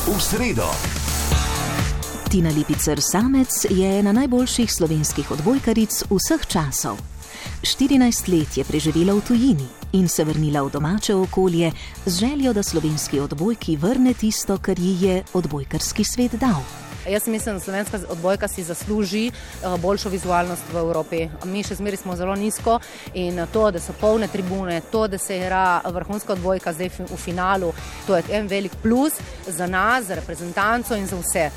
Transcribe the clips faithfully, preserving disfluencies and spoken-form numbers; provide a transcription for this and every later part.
v sredo. Tina Lipicer Samec je ena najboljših slovenskih odbojkaric vseh časov. štirinajst let je preživela v tujini in se vrnila v domače okolje z željo, da slovenski odbojki vrne tisto, kar ji je odbojkarski svet dal. Jaz mislim, da slovenska odbojka si zasluži boljšo vizualnost v Evropi. Mi še zmeri smo zelo nizko in to, da so polne tribune, to, da se igra vrhunska odbojka zdaj v finalu, to je en velik plus za nas, za reprezentanco in za vse.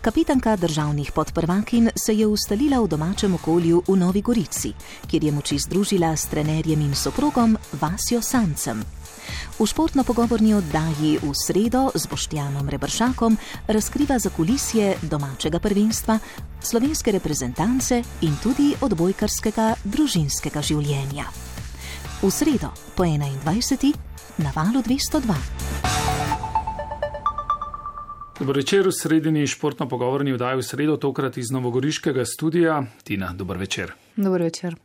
Kapitanka državnih podprvakinj se je ustalila v domačem okolju v Novi Gorici, kjer je moči združila s trenerjem in soprogom Vasjo Sancem. V športno-pogovorni oddaji V sredo z Boštjanom Rebršakom razkriva zakulisje domačega prvenstva, slovenske reprezentance in tudi odbojkarskega družinskega življenja. V sredo po enaindvajseti na valu dvesto dva. Dober večer v sredini športno-pogovorni oddaji V sredo, tokrat iz novogoriškega studija. Tina, dober večer. Dober večer.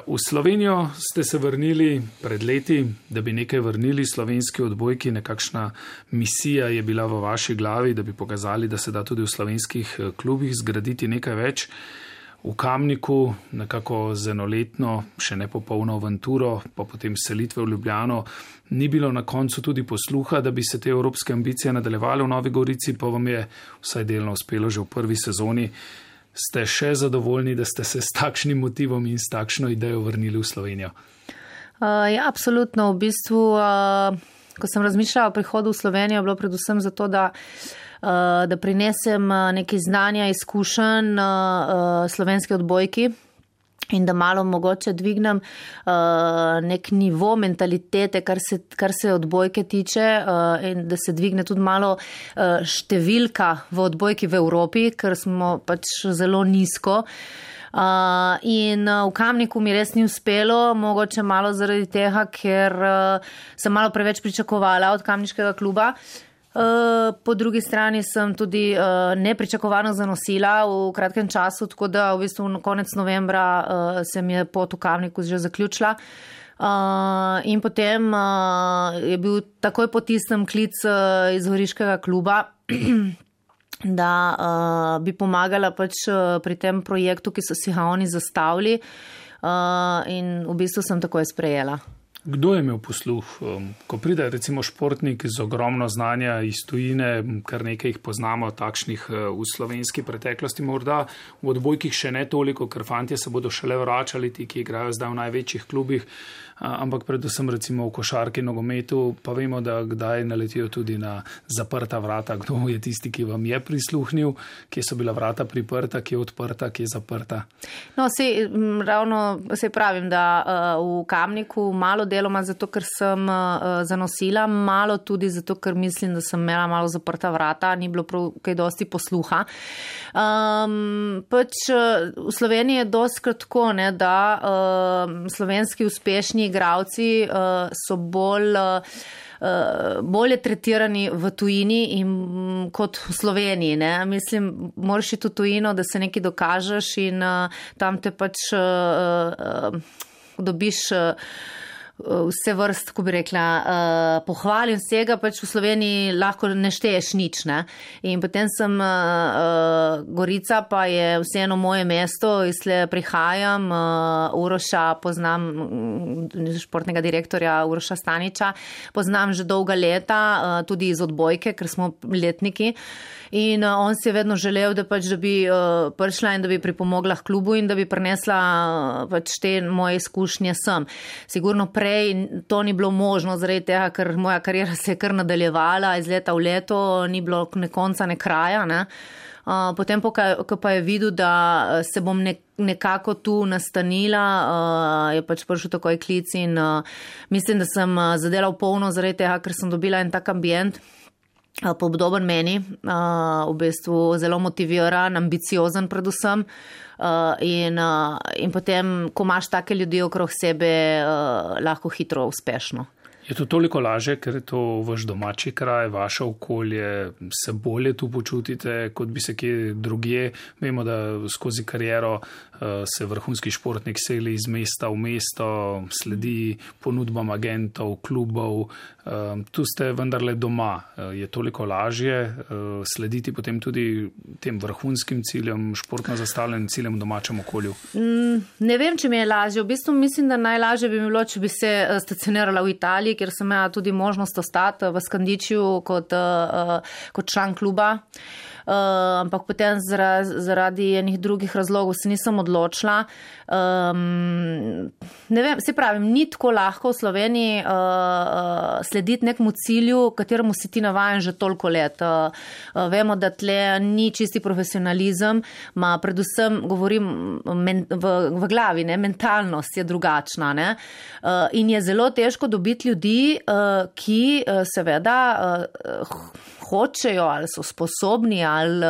V Slovenijo ste se vrnili pred leti, da bi nekaj vrnili slovenski odbojki, nekakšna misija je bila v vaši glavi, da bi pokazali, da se da tudi v slovenskih klubih zgraditi nekaj več. V Kamniku nekako z enoletno, še nepopolno avanturo, pa potem selitve v Ljubljano, ni bilo na koncu tudi posluha, da bi se te evropske ambicije nadaljevale v Novi Gorici, pa vam je vsaj delno uspelo že v prvi sezoni. Ste še zadovoljni, da ste se s takšnim motivom in s takšno idejo vrnili v Slovenijo? Uh, ja, absolutno. V bistvu, uh, ko sem razmišljala o prihodu v Slovenijo, je bilo predvsem zato, da da prinesem nekaj znanja, izkušenj slovenski odbojki in da malo mogoče dvignem nek nivo mentalitete, kar se, kar se odbojke tiče in da se dvigne tudi malo številka v odbojki v Evropi, ker smo pač zelo nizko. Uh, in uh, v Kamniku mi res ni uspelo, mogoče malo zaradi tega, ker uh, sem malo preveč pričakovala od kamniškega kluba. Uh, po drugi strani sem tudi uh, nepričakovano zanosila v kratkem času, tako da v bistvu na konec novembra uh, se mi je pot v Kamniku že zaključila. Uh, in potem uh, je bil takoj po tistem klic uh, iz Goriškega kluba, da uh, bi pomagala pač uh, pri tem projektu, ki so si ga oni zastavili, uh, in v bistvu sem takoj sprejela. Kdo je imel posluh? Ko pride recimo športnik z ogromno znanja iz tujine, kar nekaj jih poznamo, takšnih v slovenski preteklosti, morda v odbojkih še ne toliko, ker fantje se bodo šele vračali, ti, ki igrajo zdaj v največjih klubih, ampak predvsem recimo v košarki, nogometu, pa vemo, da kdaj naletijo tudi na zaprta vrata. Kdo je tisti, ki vam je prisluhnil, kje so bila vrata priprta, kje je odprta, kje je zaprta? No, sej, ravno se pravim, da uh, v Kamniku malo deloma zato, ker sem uh, zanosila, malo tudi zato, ker mislim, da sem imela malo zaprta vrata, ni bilo prav kaj dosti posluha. Um, pač uh, v Sloveniji je dostkrat tako, ne, da uh, slovenski uspešni igravci uh, so bolj, uh, bolje tretirani v tujini in, um, kot v Sloveniji. Ne. Mislim, moraš iti v tujino, da se nekaj dokažeš in uh, tam te pač uh, uh, dobiš uh, vse vrst, ko bi rekla, uh, pohvalim vsega, pač v Sloveniji lahko ne šteješ nič. Ne? In potem sem uh, Gorica, pa je vseeno moje mesto, iz tle prihajam, uh, Uroša poznam, športnega direktorja Uroša Staniča, poznam že dolga leta, uh, tudi iz odbojke, ker smo letniki. In uh, on si je vedno želel, da, pač, da bi uh, prišla in da bi pripomogla k klubu in da bi prinesla uh, pač te moje izkušnje sem. Sigurno prej to ni bilo možno, zaradi tega, ker moja karijera se je kar nadaljevala iz leta v leto, ni bilo ne konca, ne kraja. Ne? Uh, potem, ko pa je videl, da se bom ne, nekako tu nastanila, uh, je pač prišel takoj klic in uh, mislim, da sem uh, zadela v polno zaradi tega, ker sem dobila en tak ambient, podoben meni, uh, v bistvu zelo motiviran, ambiciozen predvsem uh, in, uh, in potem, ko imaš take ljudi okrog sebe, uh, lahko hitro uspešno. Je to toliko laže, ker je to vaš domači kraj, vaše okolje, se bolje tu počutite, kot bi se kje drugje. Vemo, da skozi kariero se vrhunski športnik seli iz mesta v mesto, sledi ponudbam agentov, klubov. Tu ste vendarle doma. Je toliko lažje slediti potem tudi tem vrhunskim ciljem, športno zastavljenim ciljem v domačem okolju? Ne vem, če mi je lažje. V bistvu mislim, da najlažje bi mi bilo, če bi se stacionirala v Italiji, kjer sem imela tudi možnost ostati v Skandičiju kot, kot član kluba. Uh, ampak potem zaradi, zaradi enih drugih razlogov se nisem odločila. Um, ne vem, se pravim, ni tako lahko v Sloveniji uh, slediti nekemu cilju, kateremu si ti navajen že toliko let. Uh, uh, vemo, da tle ni čisti profesionalizem, ma predvsem govorim men, v, v glavi, ne, mentalnost je drugačna. Ne? Uh, in je zelo težko dobiti ljudi, uh, ki uh, seveda uh, hočejo ali so sposobni ali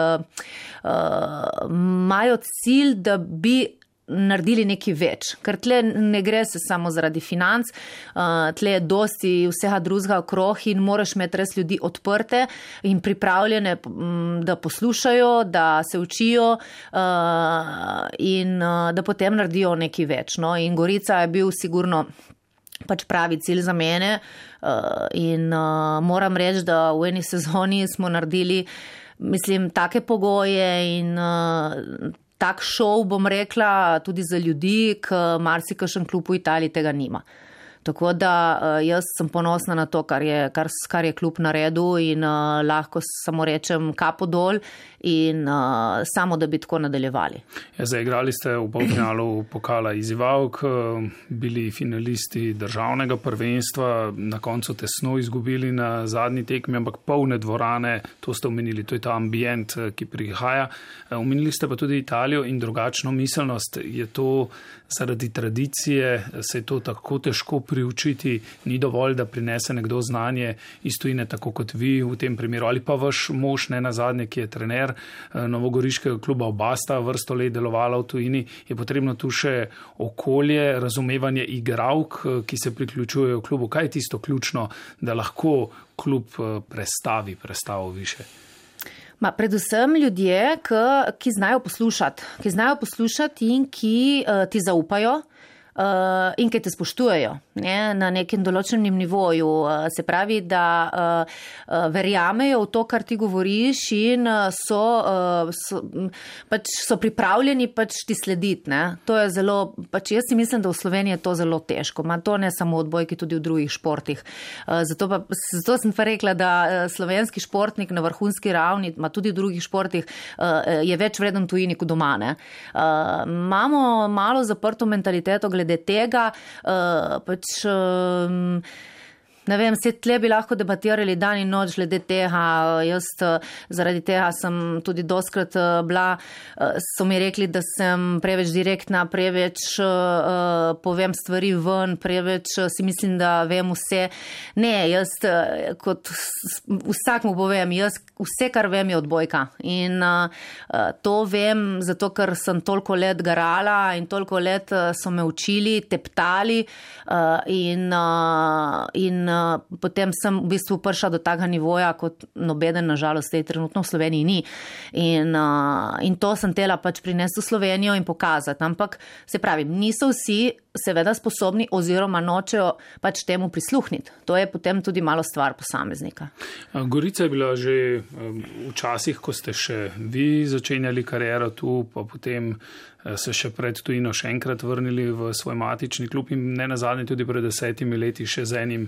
imajo uh, cilj, da bi naredili nekaj več. Ker tle ne gre se samo zaradi financ, uh, tle je dosti vsega drugega okrog in moraš imeti res ljudi odprte in pripravljene, da poslušajo, da se učijo uh, in uh, da potem naredijo nekaj več. No? In Gorica je bil sigurno pač pravi cilj za mene uh, in uh, moram reči, da v eni sezoni smo naredili, mislim, take pogoje in uh, tak šov, bom rekla, tudi za ljudi, ki marsikakšen klub v Italiji tega nima. Tako da uh, jaz sem ponosna na to, kar je, kar, kar je klub naredil in uh, lahko samo rečem kapo dol in uh, samo, da bi tako nadaljevali. Ja, zaigrali ste v polfinalu pokala izzivalk, bili finalisti državnega prvenstva, na koncu tesno izgubili na zadnji tekmi, ampak polne dvorane, to ste omenili, to je ta ambient, ki prihaja. Omenili ste pa tudi Italijo in drugačno miselnost. Je to zaradi tradicije, se je to tako težko priučiti, ni dovolj, da prinese nekdo znanje iz tujine, tako kot vi v tem primeru, ali pa vaš mož, ne nazadnje, ki je trener novogoriškega kluba Obasta, vrsto let delovala v tujini, je potrebno tu še okolje, razumevanje igralk, ki se priključujejo v klubu. Kaj je tisto ključno, da lahko klub prestavi, prestavo više? Ma, predvsem ljudje, ki, ki znajo poslušati, ki znajo poslušati in ki uh, ti zaupajo. Uh, in ki te spoštujejo, ne, na nekem določenem nivoju. Uh, se pravi, da uh, uh, verjamejo v to, kar ti govoriš in so, uh, so, pač so pripravljeni pač ti slediti. Ne. To je zelo, pač jaz si mislim, da v Sloveniji je to zelo težko. Ma to ne samo v odbojki, tudi v drugih športih. Uh, zato, pa, zato sem pa rekla, da slovenski športnik na vrhunski ravni, ma tudi v drugih športih, uh, je več vreden tujini kot doma. Ne. Uh, imamo malo zaprto mentaliteto glede glede tega, uh, pač, um, ne vem, se tle bi lahko debatirali dan in noč glede tega. Jaz zaradi tega sem tudi doskrat bila, so mi rekli, da sem preveč direktna, preveč uh, povem stvari ven, preveč si mislim, da vem vse. Ne, jaz kot vsak mu povem, jaz vse, kar vem, je odbojka. In uh, to vem, zato ker sem toliko let garala in toliko let so me učili, teptali uh, in, uh, in uh, potem sem v bistvu prišla do takega nivoja, kot nobeden, nažalost, tej trenutno v Sloveniji ni. In, uh, in to sem tela pač prinesti v Slovenijo in pokazati. Ampak, se pravi, niso vsi seveda sposobni oziroma nočejo pač temu prisluhniti. To je potem tudi malo stvar posameznika. Gorica je bila že včasih, ko ste še vi začenjali kariero tu, pa potem se še pred tujino še enkrat vrnili v svoj matični klub in ne nazadnje tudi pred desetimi leti še z enim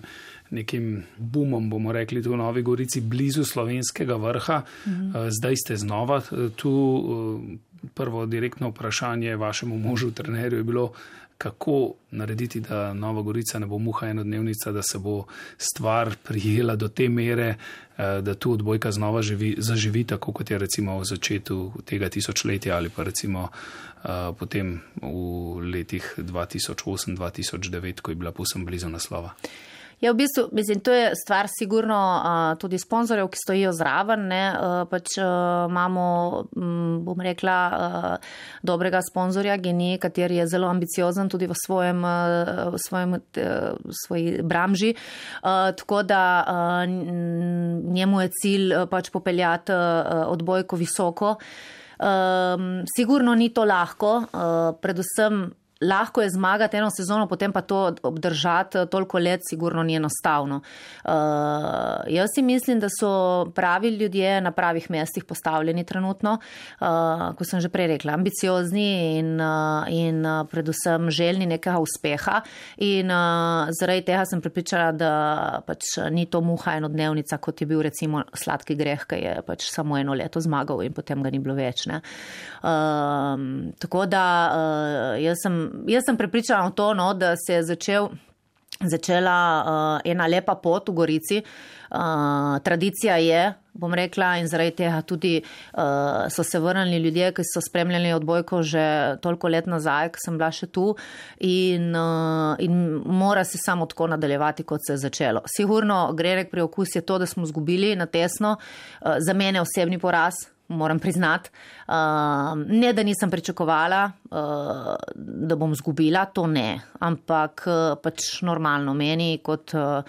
nekim boomom, bomo rekli, tu v Novi Gorici, blizu slovenskega vrha. Mhm. Zdaj ste znova tu. Prvo direktno vprašanje vašemu možu, trenerju, je bilo, kako narediti, da Nova Gorica ne bo muha enodnevnica, da se bo stvar prijela do te mere, da tu odbojka znova živi, zaživi, tako kot je recimo v začetku tega tisočletja ali pa recimo uh, potem v letih dva tisoč osem dva tisoč devet, ko je bila povsem blizu naslova. Ja, v bistvu, mislim, to je stvar sigurno uh, tudi sponzorjev, ki stojijo zraven, ne, uh, pač uh, imamo, um, bom rekla, uh, dobrega sponzorja, Geni, kateri je zelo ambiciozen tudi v svojem, uh, v svojem, uh, svoji branži, uh, tako da uh, njemu je cilj uh, pač popeljati uh, odbojko visoko. Um, sigurno ni to lahko, uh, predvsem lahko je zmagati eno sezono, potem pa to obdržati toliko let sigurno ni enostavno. Uh, jaz si mislim, da so pravi ljudje na pravih mestih postavljeni trenutno, uh, ko sem že prej rekla, ambiciozni in, uh, in uh, predvsem željni nekega uspeha in uh, zaradi tega sem prepričala, da pač ni to muha enodnevnica, kot je bil recimo Sladki greh, ki je pač samo eno leto zmagal in potem ga ni bilo več. Ne? Uh, tako da uh, jaz sem Jaz sem prepričana v to, no, da se je začel, začela uh, ena lepa pot v Gorici. Uh, tradicija je, bom rekla, in zaradi tega tudi uh, so se vrnili ljudje, ki so spremljali odbojko že toliko let nazaj, ko sem bila še tu in, uh, in mora se samo tako nadaljevati, kot se je začelo. Sigurno grenek pri okus je to, da smo zgubili na tesno. Uh, za mene osebni poraz. Moram priznati, uh, ne da nisem pričakovala, uh, da bom zgubila, to ne, ampak uh, pač normalno meni, kot uh,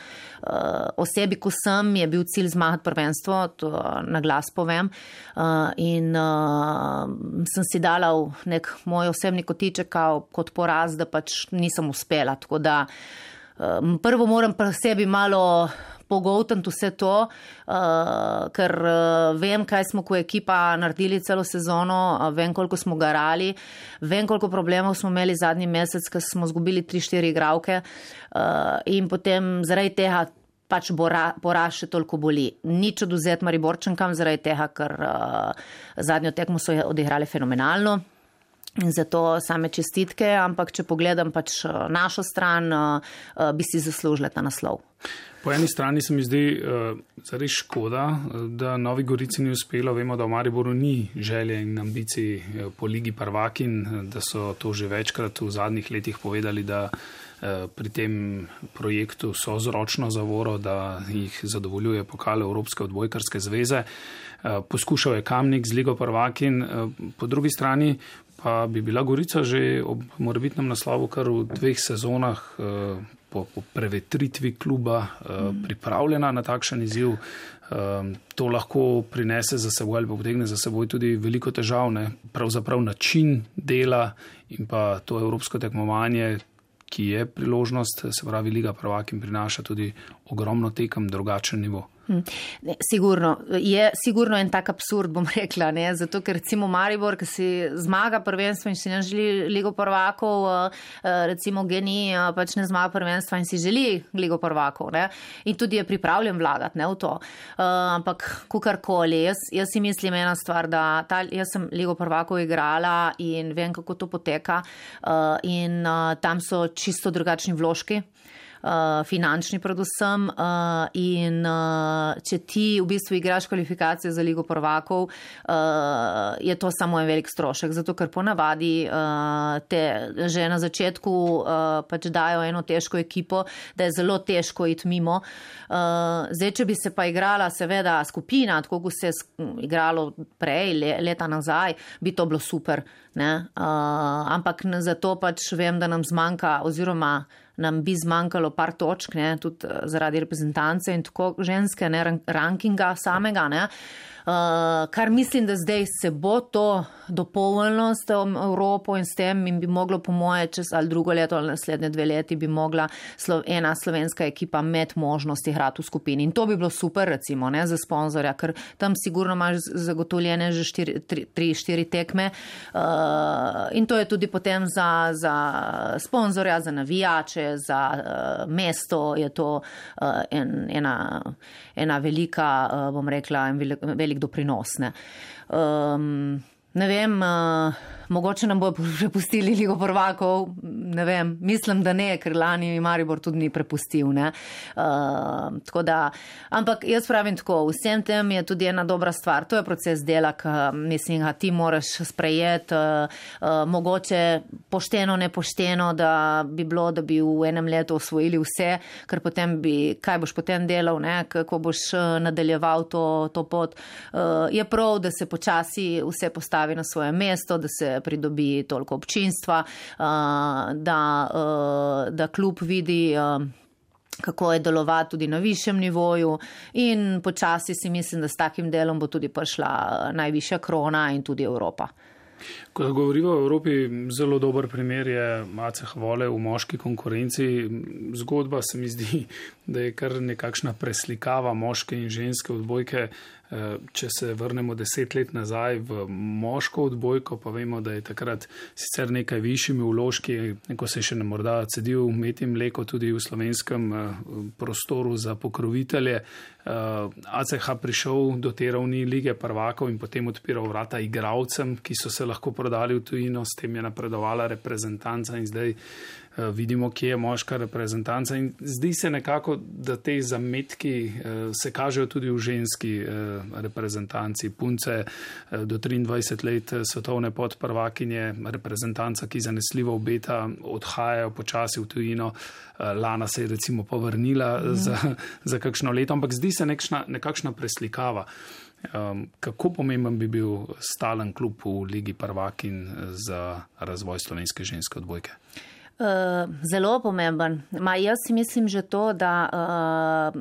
osebi, ko sem, je bil cilj zmagati prvenstvo, to na glas povem, uh, in uh, sem si dala v nek moj osebni kotiček kot poraz, da pač nisem uspela, tako da uh, prvo moram pri sebi malo pogoltniti vse to, uh, ker uh, vem, kaj smo kot ekipa naredili celo sezono, uh, vem, koliko smo garali, vem, koliko problemov smo imeli zadnji mesec, ker smo zgubili tri štiri igralke uh, in potem zaradi tega pač poraz še toliko boli. Nič odvzeti Mariborčankam zaradi tega, ker uh, zadnjo tekmo so odigrali fenomenalno. In zato same čestitke, ampak če pogledam pač našo stran, bi si zaslužila ta naslov. Po eni strani se mi zdi uh, zares škoda, da Novi Gorici ni uspelo. Vemo, da v Mariboru ni želje in ambicij po Ligi prvakin, da so to že večkrat v zadnjih letih povedali, da uh, pri tem projektu so z ročno zavoro, da jih zadovoljuje pokal Evropske odbojkarske zveze. Uh, poskušal je Kamnik z Ligo prvakin, uh, po drugi strani pa bi bila Gorica že ob morebitnem naslovu kar v dveh sezonah uh, po, po prevetritvi kluba uh, pripravljena na takšen izziv. Uh, to lahko prinese za seboj ali pa potegne za seboj tudi veliko težav, ne? Pravzaprav način dela in pa to evropsko tekmovanje, ki je priložnost, se pravi Liga prvakin prinaša tudi ogromno tekem, drugačen nivo. Ne, sigurno, je sigurno en tak absurd, bom rekla, ne, zato ker recimo Maribor, ki si zmaga prvenstvo in si ne želi Ligo prvakov, recimo Geni pač ne zmaga prvenstva in si želi Ligo prvakov, ne, in tudi je pripravljen vlagati, ne, v to. Uh, ampak kukarkoli, jaz, jaz si mislim ena stvar, da ta, jaz sem Ligo prvakov igrala in vem, kako to poteka uh, in uh, tam so čisto drugačni vložki. Uh, finančni predvsem uh, in uh, če ti v bistvu igraš kvalifikacije za Ligo prvakov, uh, je to samo en velik strošek, zato ker ponavadi uh, te že na začetku uh, pač dajo eno težko ekipo, da je zelo težko iti mimo. Uh, zdaj, če bi se pa igrala seveda skupina, tako kot se je igralo prej, le, leta nazaj, bi to bilo super. Ne? Uh, ampak zato pač vem, da nam zmanjka oziroma nam bi zmanjkalo par točk, ne, tudi zaradi reprezentance in tako ženske, ne, rankinga samega, ne. Uh, kar mislim, da zdaj se bo to dopolnilo s Evropo in s tem in bi moglo po moje čez ali drugo leto ali naslednje dve leti bi mogla slo, ena slovenska ekipa med možnosti igrati v skupini. In to bi bilo super, recimo, ne, za sponzorja, ker tam sigurno imaš zagotovljene že štiri, tri, tri, štiri tekme uh, in to je tudi potem za, za sponzorja, za navijače, za uh, mesto je to uh, en, ena, ena velika, uh, bom rekla, en velik, velik doprinosne. Um, ne vem, uh, mogoče nam bo prepustili Ligo prvakov, ne vem, mislim, da ne, ker lani Maribor tudi ni prepustil, ne. Uh, tako da, ampak jaz pravim tako, vsem tem je tudi ena dobra stvar, to je proces dela, ki mislim, ga ti moraš sprejeti, uh, uh, mogoče pošteno, nepošteno, da bi bilo, da bi v enem letu osvojili vse, ker potem bi, kaj boš potem delal, ne, kako boš nadaljeval to, to pot. Uh, je prav, da se počasi vse postavi na svoje mesto, da se pridobi toliko občinstva, da, da klub vidi, kako je delovati tudi na višjem nivoju in počasi si mislim, da s takim delom bo tudi prišla najvišja krona in tudi Evropa. Ko govorimo o Evropi, zelo dober primer je A C H Vole v moški konkurenci. Zgodba se mi zdi, da je kar nekakšna preslikava moške in ženske odbojke. Če se vrnemo deset let nazaj v moško odbojko, pa vemo, da je takrat sicer nekaj višjimi vložki, neko se še ne morda cedil meti mleko tudi v slovenskem prostoru za pokrovitelje. A C H prišel do te ravni lige prvakov in potem odpiral vrata igralcem, ki so se lahko prodali v tujino, s tem je napredovala reprezentanca in zdaj vidimo, kje je moška reprezentanca in zdi se nekako, da te zametki se kažejo tudi v ženski reprezentanci. Punce do triindvajset let svetovne podprvakinje, reprezentanca, ki zanesljivo obeta, odhajajo počasi v tujino. Lana se je recimo povrnila mm. za, za kakšno leto, ampak zdi se nekšna, nekakšna preslikava. Um, kako pomemben bi bil stalen klub v Ligi prvakin za razvoj slovenske ženske odbojke? Uh, zelo pomemben. Ma jaz si mislim že to, da uh,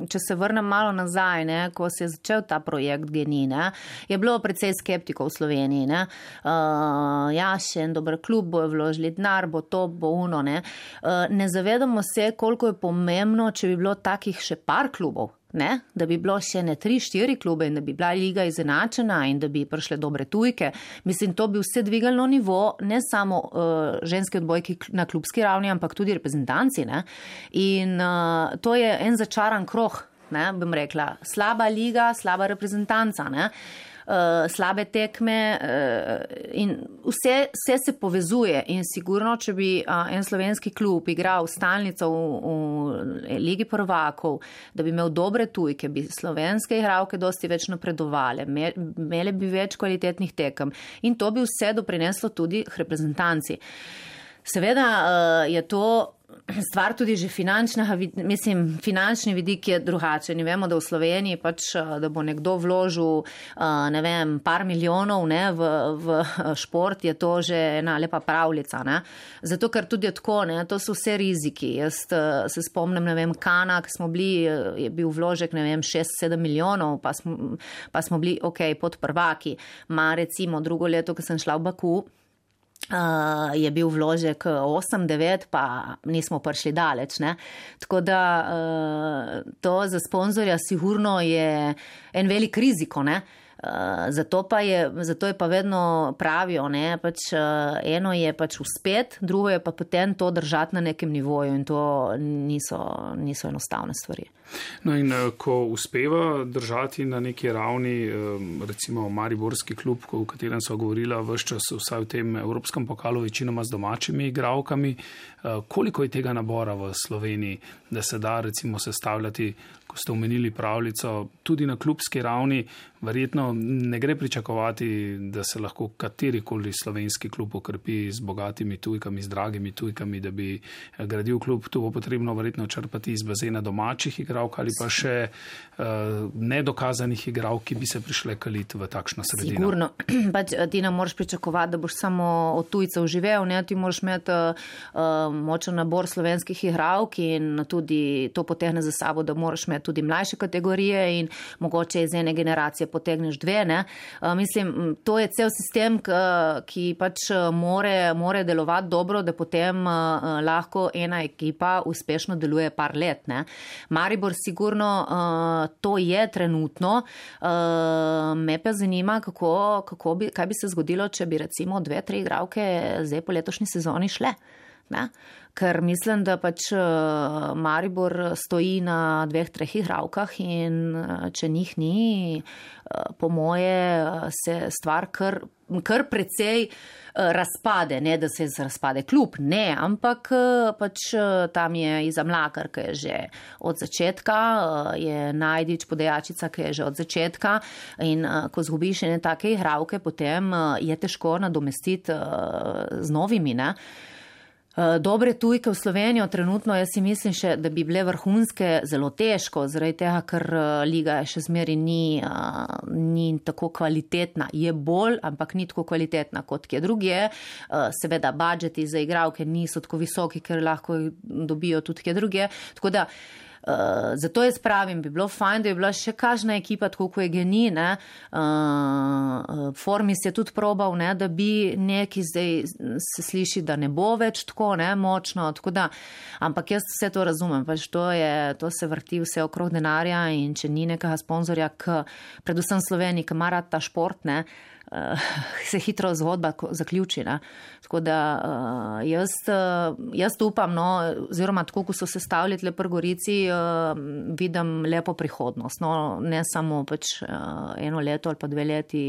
če se vrnem malo nazaj, ne, ko se je začel ta projekt G N I, ne, je bilo precej skeptikov v Sloveniji. Ne. Uh, ja, še en dober klub, bojo vložili denar, bo to, bo uno. Ne. Uh, ne zavedamo se, koliko je pomembno, če bi bilo takih še par klubov. Ne, da bi bilo še ne tri, štiri klube in da bi bila liga izenačena in da bi prišle dobre tujke. Mislim, to bi vse dvigalo nivo, ne samo uh, ženske odbojki na klubski ravni, ampak tudi reprezentanci. Ne. In uh, to je en začaran krog, ne, bom rekla. Slaba liga, slaba reprezentanca, ne. Uh, slabe tekme uh, in vse, vse se povezuje in sigurno, če bi uh, en slovenski klub igral stalnico v, v Ligi prvakov, da bi imel dobre tujke, bi slovenske igralke dosti več napredovale, imele bi več kvalitetnih tekem in to bi vse doprineslo tudi reprezentanci. Seveda uh, je to stvar tudi že finančna, mislim, finančni vidik je drugačen. Vemo, da v Sloveniji pač, da bo nekdo vložil, ne vem, par milijonov, ne, v, v šport, je to že ena lepa pravljica, ne. Zato, ker tudi je tako, ne, to so vse riziki. Jaz se spomnim, ne vem, Kana, ki smo bili, je bil vložek, ne vem, šest sedem milijonov, pa smo, pa smo bili, ok, pod prvaki. Ma recimo drugo leto, ko sem šla v Baku, Uh, je bil vložek osem devet, pa nismo prišli daleč. Ne? Tako da uh, to za sponzorja sigurno je en velik riziko. Ne? Uh, zato, pa je, zato je pa vedno pravijo, ne? Pač, uh, eno je pač uspet, drugo je pa potem to držati na nekem nivoju in to niso, niso enostavne stvari. No in ko uspeva držati na neki ravni, recimo mariborski klub, v katerem so govorila vse čas vsaj v tem evropskem pokalu večinoma z domačimi igralkami, koliko je tega nabora v Sloveniji, da se da recimo sestavljati, ko ste omenili pravljico, tudi na klubski ravni, verjetno ne gre pričakovati, da se lahko katerikoli slovenski klub okrepi z bogatimi tujkami, z dragimi tujkami, da bi gradil klub. Tu bo potrebno verjetno črpati iz bazena domačih igralk ali pa še uh, nedokazanih igralk, ki bi se prišle kaliti v takšno sredino. Sigurno. Pač ti ne moreš pričakovati, da boš samo od tujcev živel, ne? Ti moraš imeti uh, močen nabor slovenskih igralk in tudi to potegne za sabo, da moraš imeti tudi mlajše kategorije in mogoče iz ene generacije potegneš dve. Ne? Uh, mislim, to je cel sistem, k, ki pač more, more delovati dobro, da potem uh, lahko ena ekipa uspešno deluje par let. Ne? Maribor sigurno uh, to je trenutno. Uh, me pa zanima, kako, kako bi, kaj bi se zgodilo, če bi recimo dve, tri igralke zdaj po letošnji sezoni šle. Ne? ker mislim, da pač Maribor stoji na dveh, treh igralkah in če njih ni, po moje se stvar kar, kar precej razpade, ne da se razpade klub, ne, ampak pač tam je Iza Mlakar, ki je že od začetka, je Najdič podajačica, ki je že od začetka in ko zgubiš ene take igralke, potem je težko nadomestiti z novimi, ne. Dobre tujke v Slovenijo trenutno, jaz si mislim še, da bi bile vrhunske zelo težko, zaradi tega, ker liga še zmeri ni, ni tako kvalitetna. Je bolj, ampak ni tako kvalitetna kot kje drugje. Seveda, budžeti za igralke niso tako visoki, ker lahko dobijo tudi kje drugje. Tako da, Uh, zato jaz pravim, bi bilo fajn, da je bila še kažna ekipa, tako kot je Geni, ne, uh, Formis je tudi probal, ne, da bi neki zdaj se sliši, da ne bo več tako, ne, močno, tako da, ampak jaz vse to razumem, pač to je, to se vrti vse okrog denarja in če ni nekega sponzorja, k, predvsem Sloveniji, ki ima rad ta šport, ne, Uh, se hitro zgodba zaključi. Ne? Tako da uh, jaz, uh, jaz upam, no, oziroma tako, ko so se stavili tle pri Gorici, uh, vidim lepo prihodnost. No, ne samo pač uh, eno leto ali pa dve leti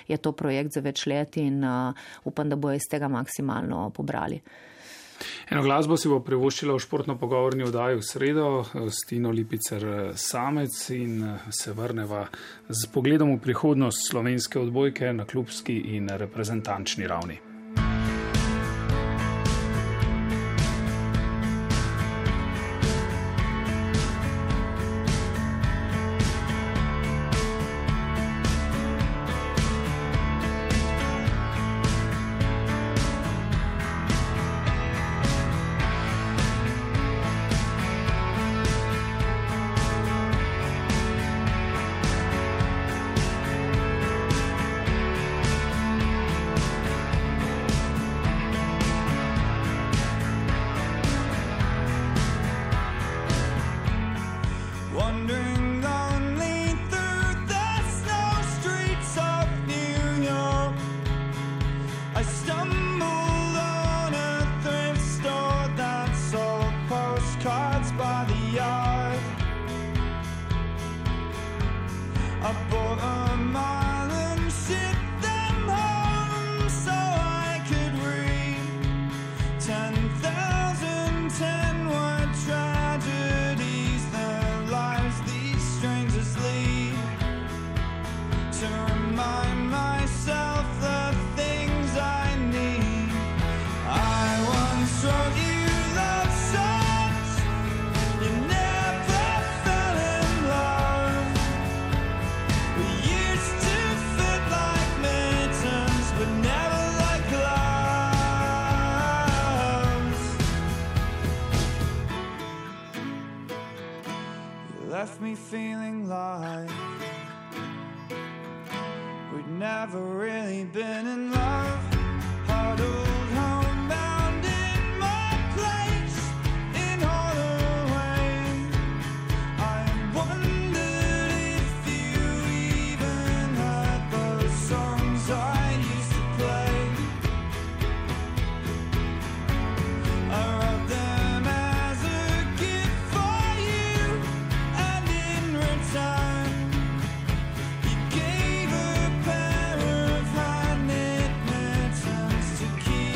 je to projekt za več let in uh, upam, da bo iz tega maksimalno pobrali. Eno glasbo si bo privoščila v športno pogovorni oddaji v sredo s Tino Lipicer Samec in se vrneva z pogledom v prihodnost slovenske odbojke na klubski in reprezentančni ravni. Left me feeling like we'd never really been in love. Huddled homebound in my place in Holloway. I wondered if you even heard those songs I used to play. I wrote them as a gift for you, and in return you gave a pair of hand-knit mittens to keep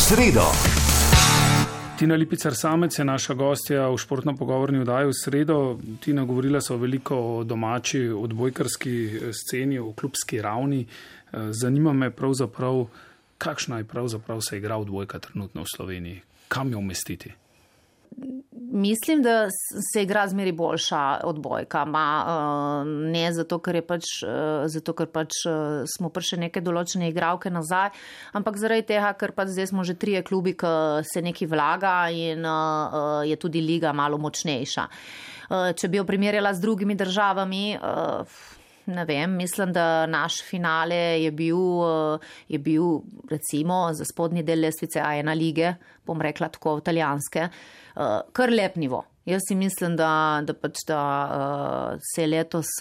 sredo. Tina Lipicar Samec je naša gostja v športno pogovorni oddaji v sredo. Tina, govorila so veliko o domači odbojkarski sceni, o klubski ravni. Zanima me pravzaprav, kakšna je pravzaprav se igra odbojka trenutno v Sloveniji? Kam jo umestiti? Mislim, da se igra zmeri boljša odbojka. Ma, ne zato, ker, je pač, zato, ker pač smo prišli neke določene igralke nazaj, ampak zaradi tega, ker pač zdaj smo že trije klubi, ki se nekaj vlaga in je tudi liga malo močnejša. Če bi jo primerjala z drugimi državami, ne vem, mislim, da naš finale je bil, je bil recimo za spodnji del lestvice A ena lige, bom rekla tako italijanske, kar lep nivo. Jaz si mislim, da, da pač da se je letos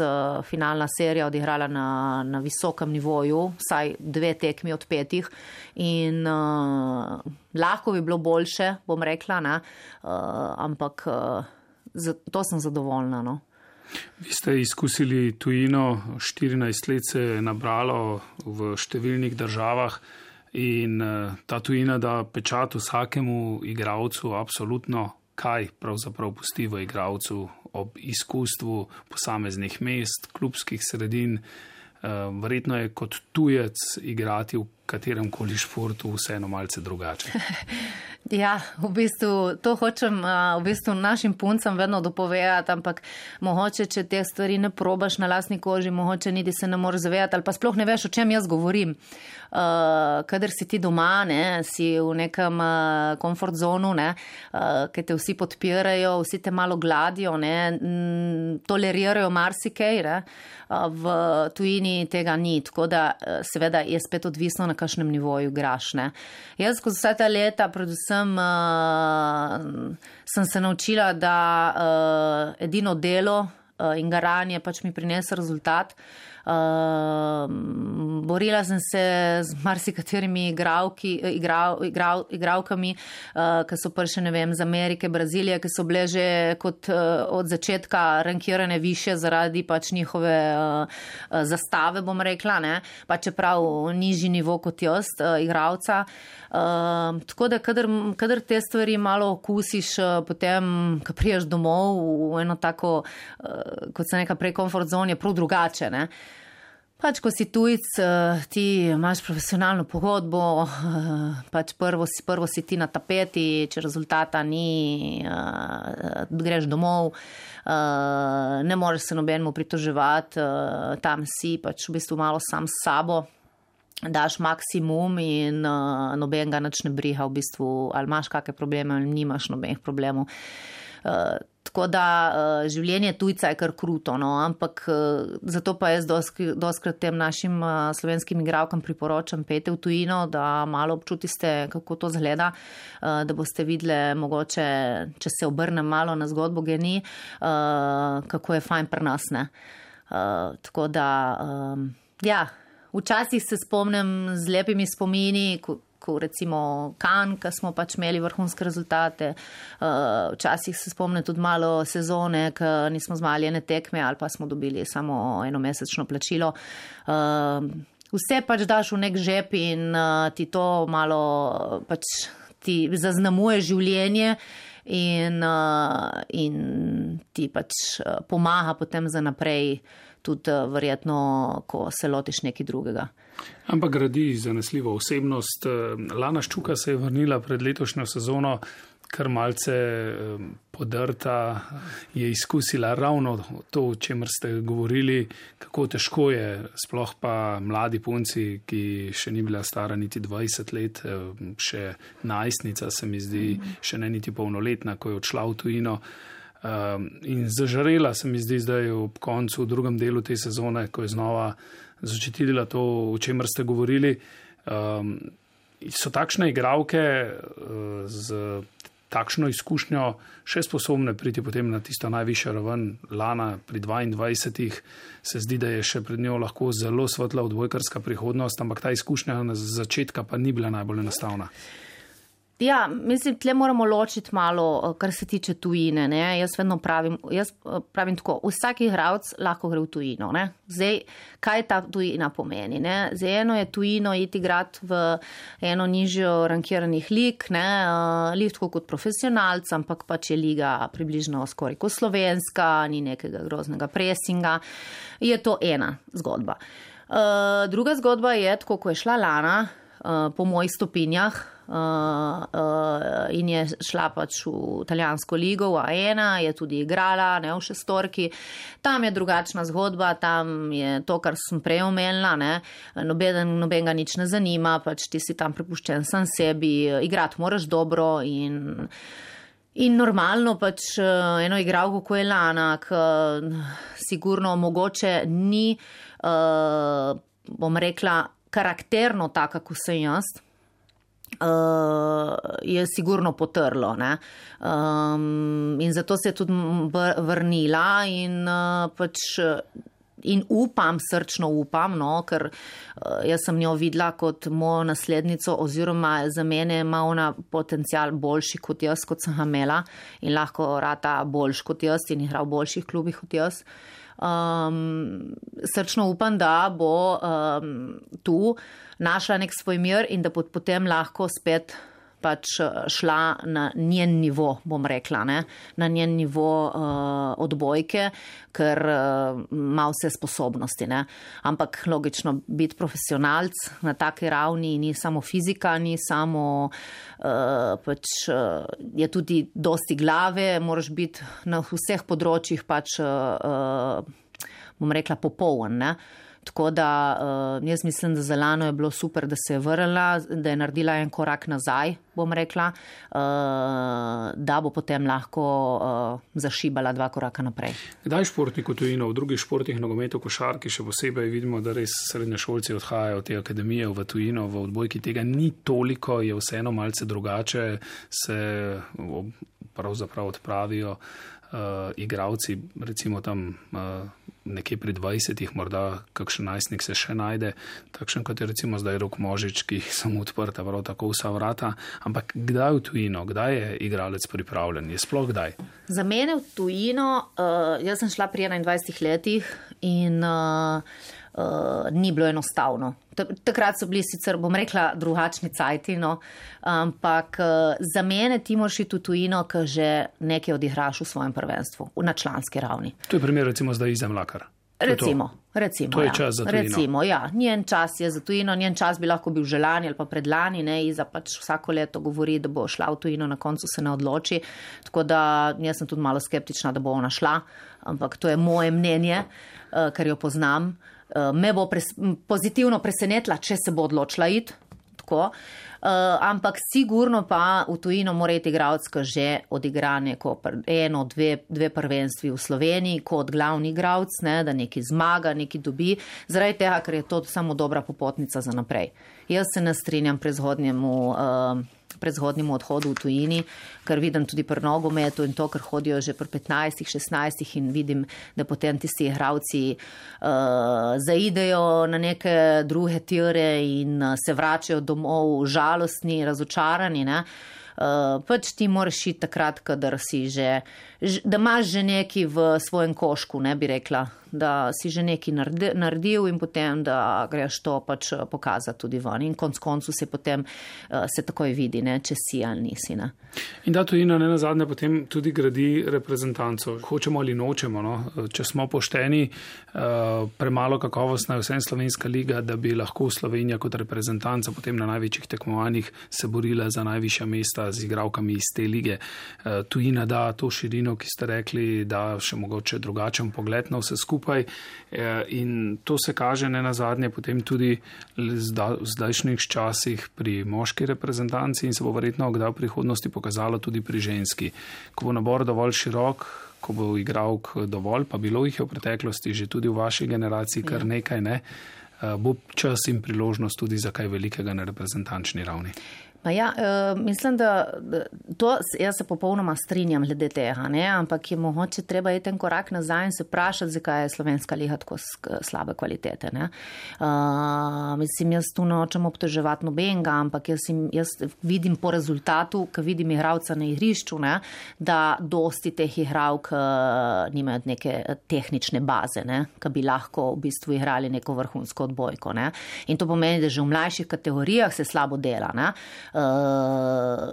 finalna serija odigrala na, na visokem nivoju, vsaj dve tekmi od petih in uh, lahko bi bilo boljše, bom rekla, ne? Uh, ampak uh, za, to sem zadovoljna, no. Vi ste izkusili tujino, štirinajst let se je nabralo v številnih državah in ta tujina da pečat vsakemu igralcu absolutno, kaj pravzaprav pusti v igralcu ob izkustvu posameznih mest, klubskih sredin. Verjetno je kot tujec igrati v katerem koli športu vseeno malce drugače. Ja, v bistvu to hočem v bistvu našim puncam vedno dopovedati, ampak mogoče, če te stvari ne probaš na lastni koži, mogoče niti se ne moreš zavedati ali pa sploh ne veš, o čem jaz govorim. Uh, kadar si ti doma, ne, si v nekem uh, comfort zonu, ne, uh, ki te vsi podpirajo, vsi te malo gladijo, ne, m, tolerirajo marsikaj, ne, uh, v tujini tega ni, tako da uh, seveda je spet odvisno, na kakšnem nivoju igraš, ne. Jaz skozi vsa ta leta predvsem uh, sem se naučila, da uh, edino delo uh, in garanje pač mi prinese rezultat. Uh, borila sem se z marsikaterimi igralki, igral, igral, igralkami, uh, ki so prišle, ne vem, z Amerike, Brazilije, ki so bile že kot uh, od začetka rankirane više zaradi pač njihove uh, zastave, bom rekla, ne, pa čeprav nižji nivo kot jaz, uh, igralca. Uh, tako da, kadar, kadar te stvari malo okusiš, uh, potem, ko priješ domov v eno tako, uh, kot se neka prej comfort zone, je prav drugače, ne. Pač, ko si tujc, ti imaš profesionalno pogodbo, pač prvo si, prvo si ti na tapeti, če rezultata ni, greš domov, ne moreš se nobenemu pritoževati, tam si pač v bistvu malo sam s sabo, daš maksimum in nobenega nič ne briga v bistvu, ali imaš kakšne probleme, ali nimaš nobenih problemov. Uh, tako da uh, življenje tujca je kar kruto, no, ampak uh, zato pa jaz doskrat tem našim uh, slovenskim igralkam priporočam, pejte v tujino, da malo občutiste, kako to zgleda, uh, da boste videli mogoče, če se obrnem malo na zgodbo Geni, uh, kako je fajn pri nas, ne. Uh, tako da, um, ja, včasih se spomnim z lepimi spomini, ko ko recimo Kan, ko smo pač imeli vrhunske rezultate. Včasih se spomne tudi malo sezone, ko nismo zmali ene tekme ali pa smo dobili samo enomesečno plačilo. Vse pač daš v nek žep in ti to malo pač ti zaznamuje življenje in, in ti pač pomaga potem za naprej, tudi verjetno, ko se lotiš nekaj drugega. Ampak gradi zanesljivo osebnost. Lana Ščuka se je vrnila pred letošnjo sezono, kar malce podrta, je izkusila ravno to, o čemer ste govorili, kako težko je, sploh pa mladi punci, ki še ni bila stara niti dvajset let, še najstnica se mi zdi, še ne niti polnoletna, ko je odšla v tujino. In zažarela se mi zdi zdaj ob koncu, v drugem delu te sezone, ko je znova začetila to, o čemer ste govorili. Um, so takšne igralke uh, z takšno izkušnjo še sposobne priti potem na tisto najvišjo raven. Lana pri dvaindvajsetih se zdi, da je še pred njo lahko zelo svetla odbojkarska prihodnost, ampak ta izkušnja na začetka pa ni bila najbolj enostavna. Ja, mislim, tle moramo ločiti malo, kar se tiče tujine. Ne? Jaz vedno pravim, jaz pravim tako, vsak igralec lahko gre v tujino. Ne? Zdaj, kaj ta tujina pomeni? Ne? Zdaj, eno je tujino iti igrati v eno nižjo rankiranih lig, ne? Lig tako kot profesionalc, ampak pač je liga približno skoraj kot slovenska, ni nekega groznega presinga. Je to ena zgodba. Uh, druga zgodba je, tako ko je šla Lana, uh, po mojih stopinjah, Uh, uh, in je šla pač v italijansko ligo, v A ena, je tudi igrala, ne v šestorki. Tam je drugačna zgodba, tam je to, kar sem prej omenila, ne, noben, noben ga nič ne zanima, pač ti si tam prepuščen sam sebi, igrati moraš dobro in, in normalno pač eno igralko, ko je Lana, k, sigurno mogoče ni, uh, bom rekla, karakterno taka, kot sem jaz. Uh, je sigurno potrlo. Ne? Um, in zato se je tudi vrnila in uh, pač in upam, srčno upam, no, ker uh, jaz sem njo videla kot mojo naslednico oziroma za mene ima ona potencial boljši kot jaz, kot sem ga imela in lahko rata boljši kot jaz in igra v boljših klubih kot jaz. Um, srčno upam, da bo um, tu našla nek svoj mir in da bo potem lahko spet pač šla na njen nivo, bom rekla, ne? Na njen nivo uh, odbojke, ker uh, ima vse sposobnosti. Ne? Ampak logično, biti profesionalc na taki ravni ni samo fizika, ni samo, uh, pač uh, je tudi dosti glave, moraš biti na vseh področjih pač, uh, uh, bom rekla, popoln, ne? Tako da uh, jaz mislim, da za Lano je bilo super, da se je vrnila, da je naredila en korak nazaj, bom rekla, uh, da bo potem lahko uh, zašibala dva koraka naprej. Kdaj športnik v tujino, v drugih športih, nogometu, košarki, še posebej vidimo, da res srednješolci odhajajo od te akademije v tujino, v odbojki tega ni toliko, je vseeno malce drugače, se pravzaprav odpravijo uh, igravci, recimo tam uh, nekje pri dvajsetih, morda kakšen najstnik se še najde, takšen kot je recimo zdaj Rok Možič, ki so mu odprta prav tako vsa vrata, ampak kdaj v tujino, kdaj je igralec pripravljen, je sploh kdaj? Za mene v tujino, uh, jaz sem šla pri enaindvajsetih letih in uh, uh, ni bilo enostavno. Takrat so bili sicer, bom rekla, drugačni cajti, no, ampak uh, za mene ti moraš iti v tujino, ko že nekaj odigraš v svojem prvenstvu, na članski ravni. To je primer recimo zdaj Izem Mlakar. Recimo, recimo, to je ja. čas za tujino. Recimo, ja, njen čas je za tujino, njen čas bi lahko bil že lani ali pa predlani, ne, Iza pač vsako leto govori, da bo šla v tujino, na koncu se ne odloči, tako da jaz sem tudi malo skeptična, da bo ona šla, ampak to je moje mnenje, uh, ker jo poznam. Uh, me bo pres, pozitivno presenetila, če se bo odločila iti, tako. Uh, ampak sigurno pa v tujino mora iti igralec, ki že odigra neko eno, dve, dve prvenstvi v Sloveniji kot glavni igralec, ne, da neki zmaga, neki dobi, zaradi tega, ker je to samo dobra popotnica za naprej. Jaz se ne strinjam prezgodnjemu uh, prezgodnjemu odhodu v tujini, ker vidim tudi pri nogometu in to, ker hodijo že pri petnajstih, šestnajstih in vidim, da potem tisti igralci uh, zaidejo na neke druge tire in uh, se vračajo domov žalostni, razočarani, ne. Uh, pač ti moraš iti takrat, kadar si že, da imaš že neki v svojem košku, ne bi rekla, da si že neki naredil in potem, da greš to pač pokazati tudi ven. In konc koncu se potem uh, se takoj vidi, ne, če si ali nisi. Ne. In da tujina ne nazadnje potem tudi gradi reprezentanco. Hočemo ali nočemo, no? Če smo pošteni, uh, premalo kakovostna je vsem slovenska liga, da bi lahko Slovenija kot reprezentanca potem na največjih tekmovanjih se borila za najvišja mesta z igralkami iz te lige. Uh, tujina da to širino, ki ste rekli, da še mogoče drugačen pogled na vse skupaj. In to se kaže ne nazadnje potem tudi v zdajšnjih časih pri moški reprezentanci in se bo verjetno kdaj v prihodnosti pokazalo tudi pri ženski. Ko bo nabor dovolj širok, ko bo igralk dovolj, pa bilo jih je v preteklosti že tudi v vaši generaciji kar nekaj, ne, bo čas in priložnost tudi za kaj velikega na reprezentančni ravni. Pa ja, uh, mislim, da to, jaz se popolnoma strinjam glede tega, ne? Ampak je mogoče treba iti en korak nazaj in se vprašati, zakaj je slovenska liga tako slabe kvalitete. Ne? Uh, mislim, jaz tu nočem obtoževati nobenega, ampak jaz, jaz vidim po rezultatu, ko vidim igralca na igrišču, ne? Da dosti teh igralk uh, nimajo neke tehnične baze, ne? Ki bi lahko v bistvu igrali neko vrhunsko odbojko. Ne? In to pomeni, da že v mlajših kategorijah se slabo dela. Ne? Uh,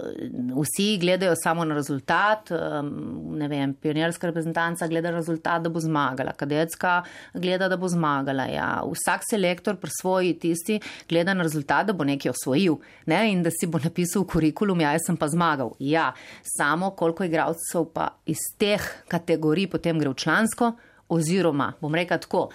vsi gledajo samo na rezultat, um, ne vem, pionirska reprezentanca gleda rezultat, da bo zmagala, kadetska gleda, da bo zmagala. Ja. Vsak selektor pri svoji tisti gleda na rezultat, da bo nekaj osvojil, ne? In da si bo napisal kurikulum, ja, jaz sem pa zmagal. Ja, samo koliko igralcev pa iz teh kategorij potem gre v člansko, oziroma, bom rekel tako,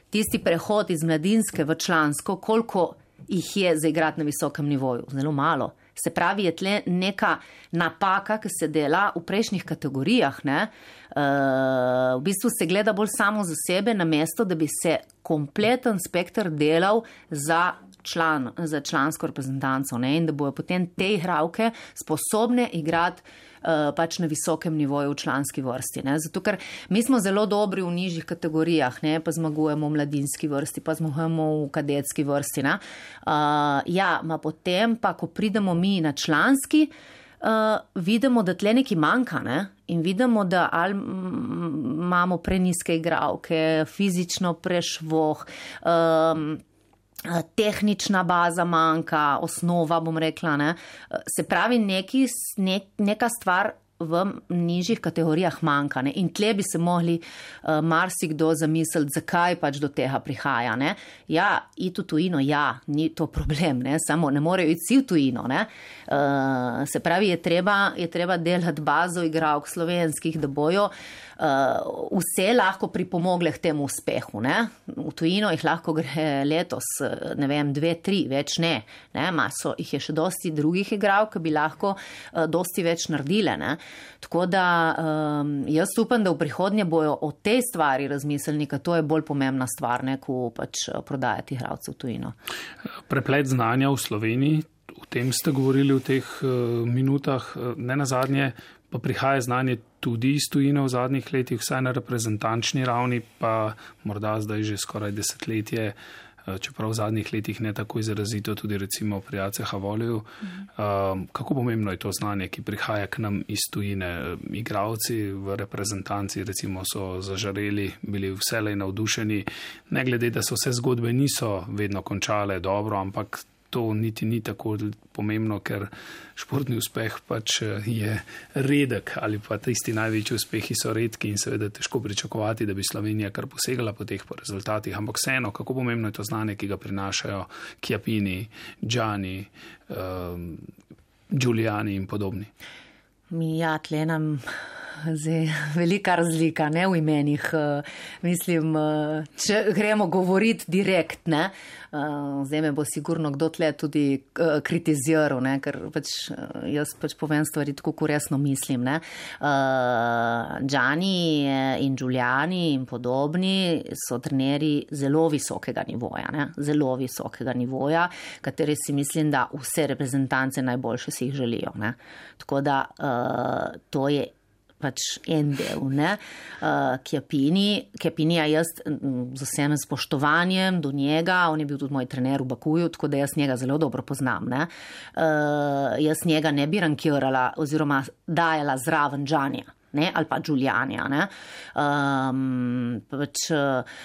tisti prehod iz mladinske v člansko, koliko jih je zaigrati na visokem nivoju. Zelo malo. Se pravi, je tle neka napaka, ki se dela v prejšnjih kategorijah. Ne? Uh, v bistvu se gleda bolj samo za sebe, namesto da bi se kompleten spektr delal za, član, za člansko reprezentanco, ne? In da bojo potem te igralke sposobne igrati uh, pač na visokem nivoju v članski vrsti. Ne? Zato, ker mi smo zelo dobri v nižjih kategorijah, ne? Pa zmagujemo v mladinski vrsti, pa zmagujemo v kadetski vrsti. Ne? Uh, ja, ma potem pa, ko pridemo mi na članski, uh, vidimo, da tle nekaj manjka, ne? In vidimo, da ali imamo preniske igralke, fizično prešvoh, um, tehnična baza manjka, osnova, bom rekla, ne. Se pravi, neki, ne, neka stvar v nižjih kategorijah manjka, ne. In tle bi se mogli uh, marsikdo zamisliti, zakaj pač do tega prihaja, ne. Ja, iti v tujino, ja, ni to problem, ne, samo ne morejo iti vsi v tujino, ne. Uh, se pravi, je treba, je treba delati bazo igralk slovenskih, da bojo Uh, vse lahko pripomogle k temu uspehu. Ne? V tujino jih lahko gre letos, ne vem, dve, tri, več ne. ne? Maso jih je še dosti drugih igralk, ki bi lahko uh, dosti več naredile. Ne? Tako da um, jaz upam, da v prihodnje bojo o tej stvari razmislili, ker to je bolj pomembna stvar, ne, ko pač prodajati igralce v tujino. Preplet znanja v Sloveniji, o tem ste govorili v teh uh, minutah, ne nazadnje, pa prihaja znanje tudi iz tujine v zadnjih letih, vsaj na reprezentančni ravni, pa morda zdaj že skoraj desetletje, čeprav v zadnjih letih ne tako izrazito, tudi recimo pri A C H-Voliju. Um, kako pomembno je to znanje, ki prihaja k nam iz tujine? Igralci v reprezentanci recimo so zažareli, bili vselej navdušeni, ne glede, da so vse zgodbe niso vedno končale dobro, ampak to niti ni tako pomembno, ker športni uspeh pač je redek ali pa tisti največji uspehi so redki in seveda težko pričakovati, da bi Slovenija kar posegala po teh po rezultatih. Ampak vseeno, kako pomembno je to znanje, ki ga prinašajo Chiappini, Gianni, um, Giuliani in podobni. Ja, tle nam zdaj velika razlika, ne, v imenih. Mislim, če gremo govoriti direkt, ne, zdaj me bo sigurno kdo tle tudi kritiziral, ne, ker pač jaz pač povem stvari tako, ko resno mislim, ne. Gianni in Giuliani in podobni so trenerji zelo visokega nivoja, ne, zelo visokega nivoja, kateri si mislim, da vse reprezentance najboljše si jih želijo, ne. Tako da uh, to je pač en del, ne. Uh, Chiappini, Chiappinija jaz z vsem spoštovanjem do njega, on je bil tudi moj trener v Bakuju, tako da jaz njega zelo dobro poznam, ne. Uh, jaz njega ne bi rankirala oziroma dajala zraven Giannija, ne, ali pa Giulianija, ne. Um, pač uh,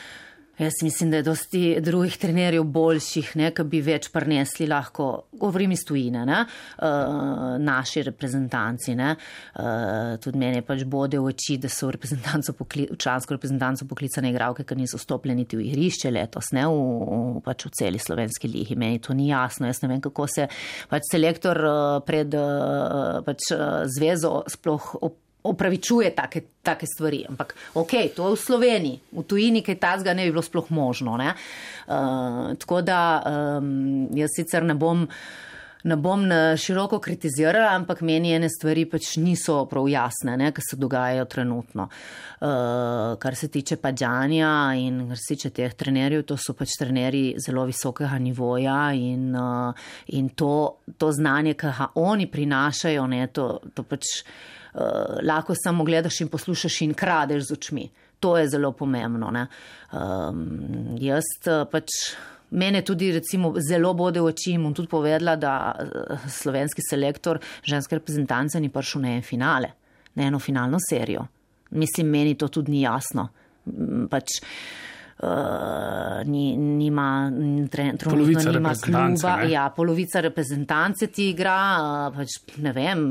Jaz mislim, da je dosti drugih trenerjev boljših, ne, ki bi več prinesli lahko, govorim iz tujine, ne, uh, naši reprezentanci. Ne. Uh, tudi mene pač bode v oči, da so v, reprezentanco pokli, v člansko reprezentanco poklicane igralke, ki niso stopljeni v igrišče letos, ne, v, v, pač v celi slovenski ligi. Meni to ni jasno. Jaz ne vem, kako se pač selektor uh, pred uh, pač, uh, zvezo sploh op opravičuje take, take stvari. Ampak, ok, to je v Sloveniji, v tujini, kaj tazga ne bi bilo sploh možno. Ne? Uh, tako da um, jaz sicer ne bom Ne bom na široko kritizirala, ampak meni ene stvari pač niso prav jasne, ne, ki se dogajajo trenutno. Uh, kar se tiče Padjanja in kar se tiče teh trenerjev, to so pač trenerji zelo visokega nivoja in, uh, in to, to znanje, ki ga oni prinašajo, ne, to, to pač uh, lahko samo gledaš in poslušaš in kradeš z očmi. To je zelo pomembno. Ne. Um, jaz uh, pač. Mene tudi recimo zelo bode v oči in bom tudi povedala, da slovenski selektor ženske reprezentance ni prišel na en finale, na eno finalno serijo. Mislim, meni to tudi ni jasno. Pač uh, ni, nima, trenutno nima kluba. Ja, polovica reprezentance ti igra, uh, pač ne vem.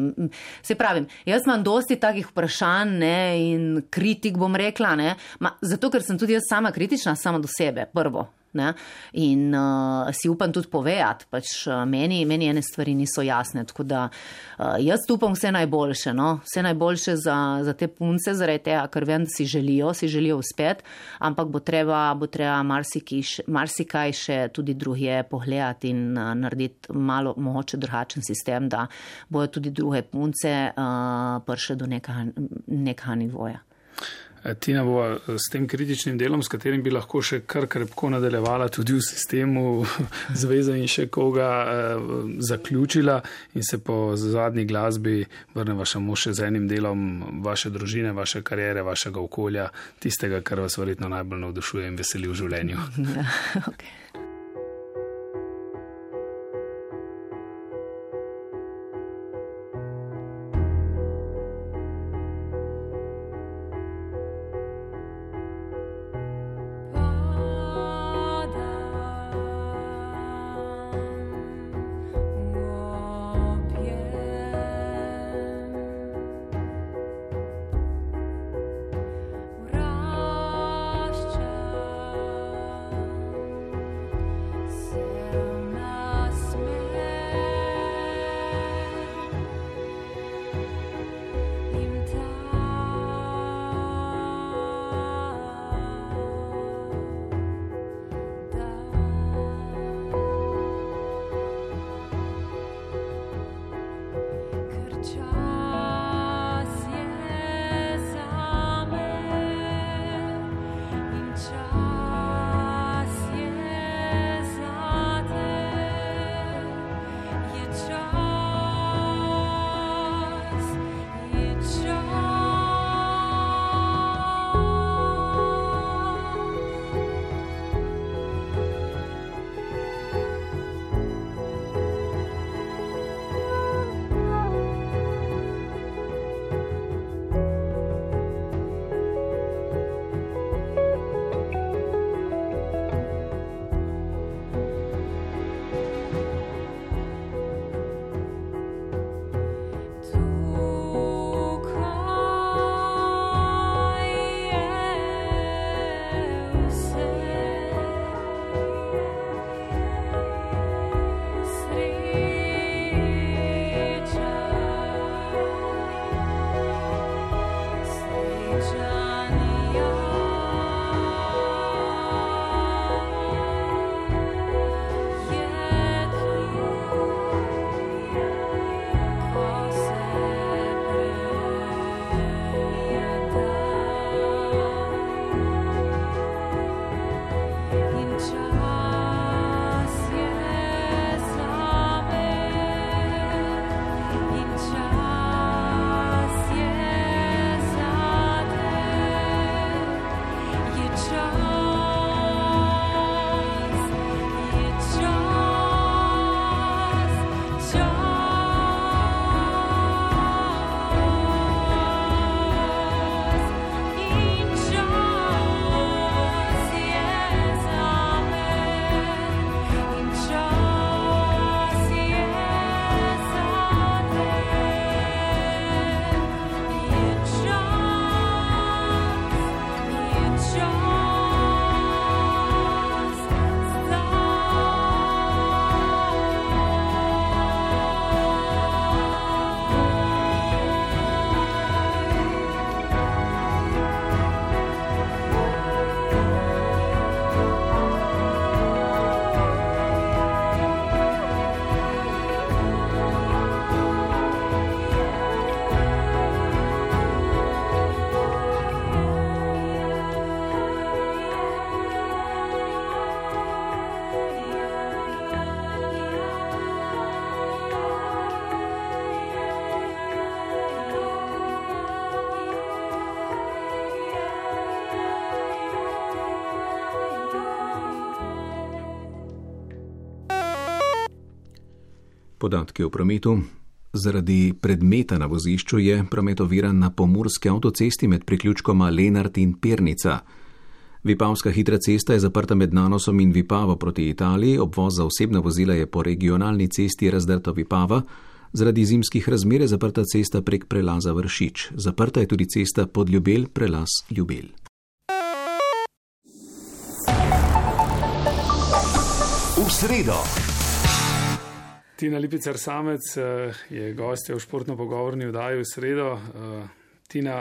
Se pravim, jaz imam dosti takih vprašanj, ne, in kritik bom rekla, ne, ma, zato ker sem tudi jaz sama kritična sama do sebe, prvo. Ne? In uh, si upam tudi povedati, pač uh, meni, meni ene stvari niso jasne, tako da uh, jaz upam vse najboljše, no? Vse najboljše za, za te punce, zaradi tega, ker vem, da si želijo, si želijo uspeti, ampak bo treba, bo treba marsikaj še tudi drugje pogledati in uh, narediti malo mogoče drugačen sistem, da bojo tudi druge punce uh, prišle do nekega, nekega nivoja. Tina bo s tem kritičnim delom, s katerim bi lahko še kar krepko nadaljevala tudi v sistemu zveze in še koga eh, zaključila in se po zadnji glasbi vrneva samo še z enim delom vaše družine, vaše karijere, vašega okolja, tistega, kar vas verjetno najbolj navdušuje in veseli v življenju. Ja, okay. Podatki o prometu. Zaradi predmeta na vozišču je promet oviran na pomurski avtocesti med priključkoma Lenart in Pernica. Vipavska hitra cesta je zaprta med Nanosom in Vipavo proti Italiji, obvoz za osebna vozila je po regionalni cesti Razdrto Vipava, zaradi zimskih razmer je zaprta cesta prek prelaza Vršič. Zaprta je tudi cesta pod Ljubelj, prelaz Ljubelj. V sredo. Tina Lipicer Samec je gostja v športno-pogovorni oddaji v sredo. Tina,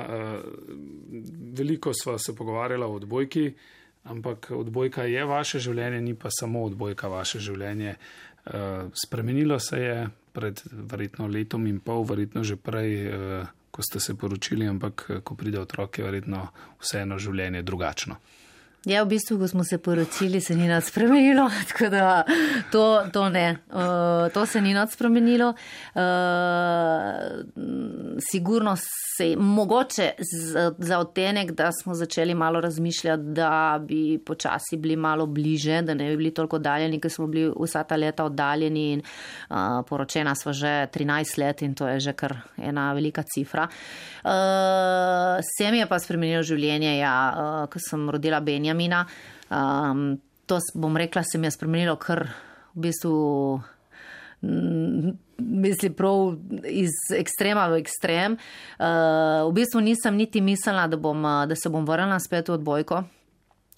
veliko sva se pogovarjala o odbojki, ampak odbojka je vaše življenje, ni pa samo odbojka vaše življenje. Spremenilo se je pred verjetno letom in pol, verjetno že prej, ko ste se poročili, ampak ko pride otrok, je verjetno vseeno življenje drugačno. Ja, v bistvu, ko smo se poročili, se ni nič spremenilo, tako da to, to ne. Uh, to se ni nič spremenilo. Uh, sigurno se, mogoče z, za odtenek, da smo začeli malo razmišljati, da bi počasi bili malo bliže, da ne bi bili toliko oddaljeni, ker smo bili vsa ta leta oddaljeni in uh, poročena sva že trinajst let in to je že kar ena velika cifra. Uh, se mi je pa spremenilo življenje, ja, uh, ko sem rodila Benja. Mina. Um, to bom rekla, se mi je spremenilo kar v bistvu mislim prav iz ekstrema v ekstrem. Uh, v bistvu nisem niti mislila, da, bom, da se bom vrnila spet v odbojko.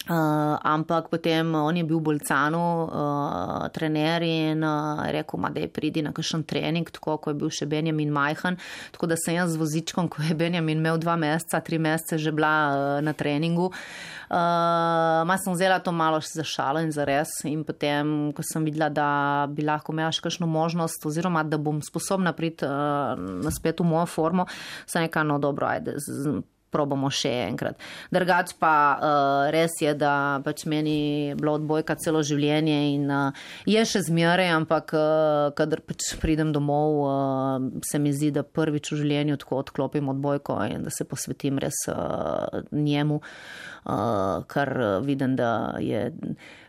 Uh, ampak potem on je bil v Bolcanu, uh, trener in uh, rekel, ma, da je pridi na kakšen trening, tako ko je bil še Benjamin majhen, tako da sem jaz z vozičkom, ko je Benjamin imel dva meseca, tri mesece že bila uh, na treningu. Uh, ma sem vzela to malo za šalo in za res in potem, ko sem videla, da bi lahko imela še kakšno možnost oziroma, da bom sposobna priti uh, na spet v mojo formo, sem rekla, no dobro, ajde, z, probamo še enkrat. Drugač pa uh, res je, da pač meni bilo odbojka celo življenje in uh, je še zmeraj, ampak uh, kadar pač pridem domov, uh, se mi zdi, da prvič v življenju tako odklopim odbojko in da se posvetim res uh, njemu, uh, kar vidim, da je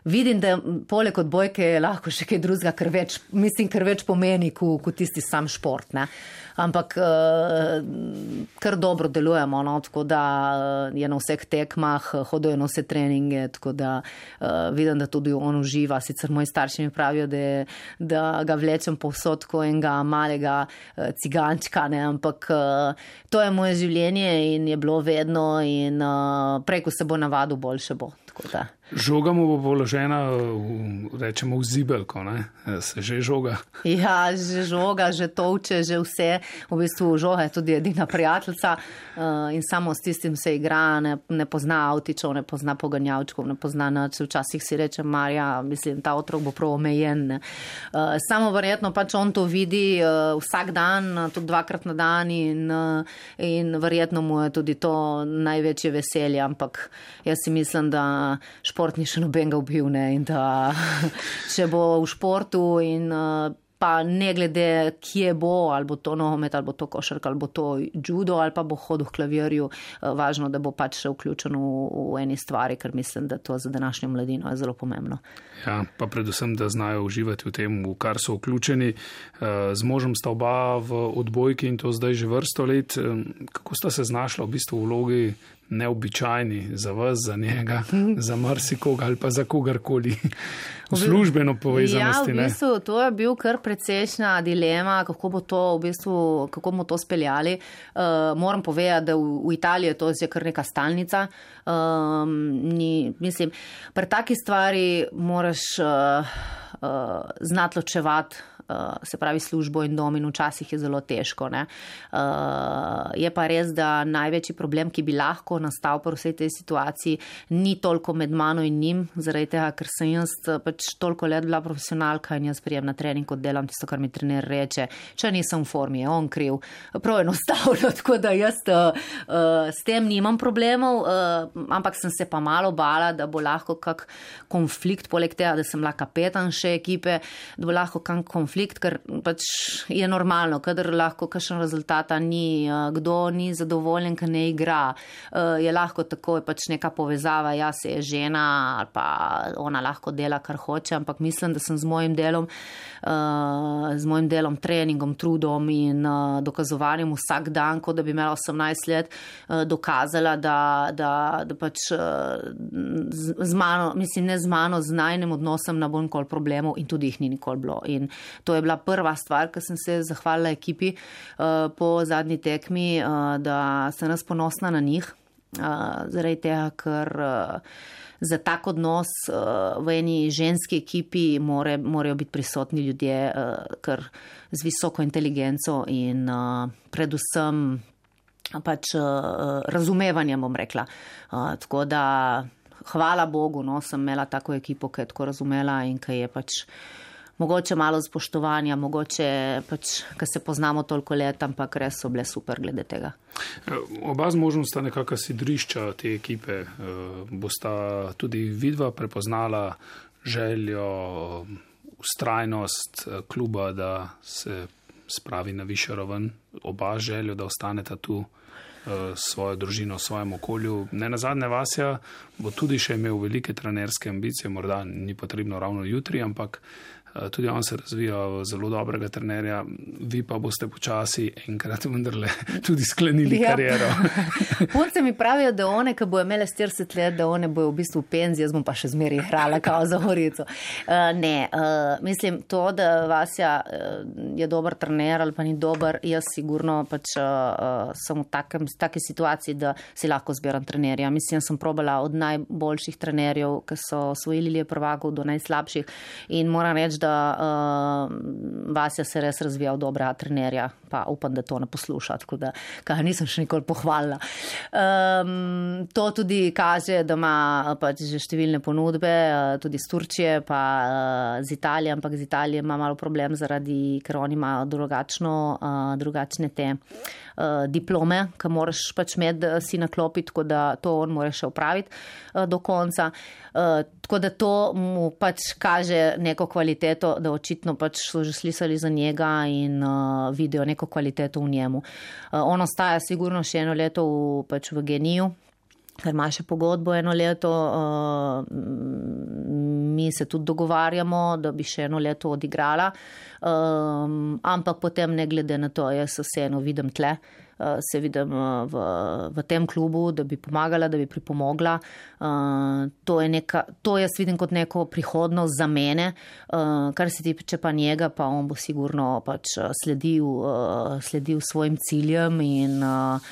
vidim, da poleg odbojke je lahko še kaj drugega, kar več, mislim, kar več pomeni kot ko tisti sam šport, ne. Ampak uh, kar dobro delujemo, no, tako da uh, je na vseh tekmah, hodojo na vse treninge, tako da uh, vidim, da tudi on uživa. Sicer moji starši mi pravijo, da, da ga vlečem povsod kot enega malega uh, cigančka, ne, ampak uh, to je moje življenje in je bilo vedno in uh, preko se bo navadil, boljše bo. Tako da. Žoga mu bo položena, v, rečemo, v zibelko, ne? Se že žoga? Ja, že žoga, že tovče, že vse. V bistvu žoga je tudi edina prijateljica uh, in samo s tistim se igra, ne, ne pozna avtičov, ne pozna poganjavčkov, ne pozna nič. Včasih si reče, Marja, mislim, ta otrok bo prav omejen. Ne? Uh, samo verjetno pač on to vidi uh, vsak dan, tudi dvakrat na dan in, uh, in verjetno mu je tudi to največje veselje, ampak jaz si mislim, da šport ni še nobenega ubil, ne, in da če bo v športu in pa ne glede, kje bo, ali bo to nogomet, ali bo to košarka, ali bo to judo, ali pa bo hodil v klavirju, važno, da bo pač še vključen v, v eni stvari, ker mislim, da to za današnjo mladino je zelo pomembno. Ja, pa predvsem, da znajo uživati v tem, v kar so vključeni. Z možem sta oba v odbojki in to zdaj že vrsto let. Kako sta se znašla v bistvu v vlogi neobičajni za vas, za njega, za marsikoga ali pa za kogarkoli v službeno povezanosti? Ja, v bistvu to je bil kar precejšnja dilema, kako bo to v bistvu, kako bomo to speljali. Uh, moram povedati, da v, v Italiji je to je kar neka stalnica. Um, ni, mislim, pri taki stvari moraš uh, uh, znati ločevati. Uh, se pravi službo in dom in včasih je zelo težko. Ne? Uh, je pa res, da največji problem, ki bi lahko nastal pri vsej tej situaciji, ni toliko med mano in njim, zaradi tega, ker sem jaz pač toliko let bila profesionalka in jaz prijem na trening, kot delam tisto, kar mi trener reče. Če nisem v formi, je on kriv. Prav enostavno, tako da jaz uh, uh, s tem nimam problemov, uh, ampak sem se pa malo bala, da bo lahko kak konflikt, poleg tega, da sem bila kapetan še ekipe, da bo lahko kak konflikt konflikt, ker pač je normalno, kadar lahko kakšen rezultata ni, kdo ni zadovoljen, ker ne igra, je lahko takoj pač neka povezava, jaz je žena ali pa ona lahko dela, kar hoče, ampak mislim, da sem z mojim delom, z mojim delom, treningom, trudom in dokazovanjem vsak dan, kot da bi imela osemnajst let, dokazala, da, da, da pač z, z mano, mislim, ne z mano, z najnem odnosom na bolj nikoli problemov in tudi jih ni nikoli bilo. In to je bila prva stvar, ker sem se zahvalila ekipi uh, po zadnji tekmi, uh, da sem raz ponosna na njih, uh, zaradi tega, ker uh, za tak odnos uh, v eni ženski ekipi more, morajo biti prisotni ljudje, uh, ker z visoko inteligenco in uh, predvsem pač uh, razumevanjem, bom rekla. Uh, tako da hvala Bogu, no, sem imela tako ekipo, ki je tako razumela in ki je pač mogoče malo spoštovanja, mogoče pač, ker se poznamo toliko let, ampak res so bile super glede tega. Oba z možom sta nekaka sidrišča te ekipe. Bosta tudi vidva prepoznala željo, ustrajnost kluba, da se spravi na višjo raven, oba željo, da ostaneta tu svojo družino, v svojem okolju. Ne nazadnje Vasja bo tudi še imel velike trenerske ambicije, morda ni potrebno ravno jutri, ampak tudi on se razvija v zelo dobrega trenerja, vi pa boste počasi enkrat vendarle tudi sklenili ja. kariero. Punce mi pravijo, da one, ki bojo imele štirideset let, da one bojo v bistvu v penziji, jaz bom pa še zmeraj igrala kao za Gorico. Uh, ne, uh, mislim, to, da Vasja uh, je dober trener ali pa ni dober, jaz sigurno pač uh, sem v takem, taki situaciji, da si lahko zbiram trenerja. Mislim, sem probala od najboljših trenerjev, ki so osvojili Lige prvakov, do najslabših in moram reči, da uh, Vasja se res razvija v dobra trenerja, pa upam, da to ne posluša, tako da kaj nisem še nikoli pohvalila. Um, to tudi kaže, da ima pač že številne ponudbe, uh, tudi z Turčije, pa uh, z Italije, ampak z Italije ima malo problem zaradi, ker oni imajo drugačno, uh, drugačne te uh, diplome, ki moraš pač med si naklopiti, tako da to on mora še upraviti uh, do konca. Uh, tako da to mu pač kaže neko kvaliteto, da očitno pač so že slišali za njega in uh, vidijo neko kvaliteto v njemu. Uh, on ostaja sigurno še eno leto v, pač v Geniju, ker ima še pogodbo eno leto. Uh, mi se tudi dogovarjamo, da bi še eno leto odigrala, um, ampak potem ne glede na to, jaz se vseeno vidim tle. Uh, se vidim uh, v, v tem klubu, da bi pomagala, da bi pripomogla. Uh, to, je neka, to jaz vidim kot neko prihodnost za mene, uh, kar se tiče pa njega, pa on bo sigurno pač sledil, uh, sledil svojim ciljem in uh,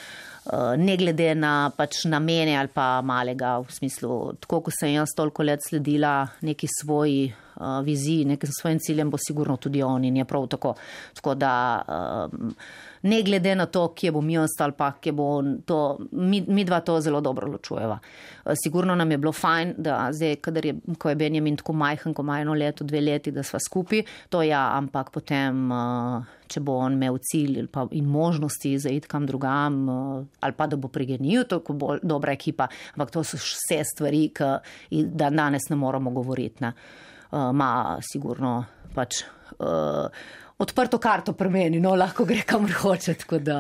uh, ne glede na pač namene ali pa malega, v smislu, tako ko sem jaz toliko let sledila neki svoji uh, viziji, nekim svojim ciljem, bo sigurno tudi on in je prav tako. Tako da um, ne glede na to, kje bom jaz ali pa kje bo to, mi, mi dva to zelo dobro ločujeva. Sigurno nam je bilo fajn, da zdaj, kadar je, ko je Benjamin tako majhen, ko ima eno leto, dve leti, da sva skupaj, to ja, ampak potem, če bo on imel cilj pa in možnosti za iti kam drugam, ali pa da bo pri Geniju, to je bolj dobra ekipa, ampak to so vse stvari, ki da danes ne moramo govoriti. Ne. Ma sigurno pač uh, odprto karto pri meni, no, lahko gre kamor hoče, tako da.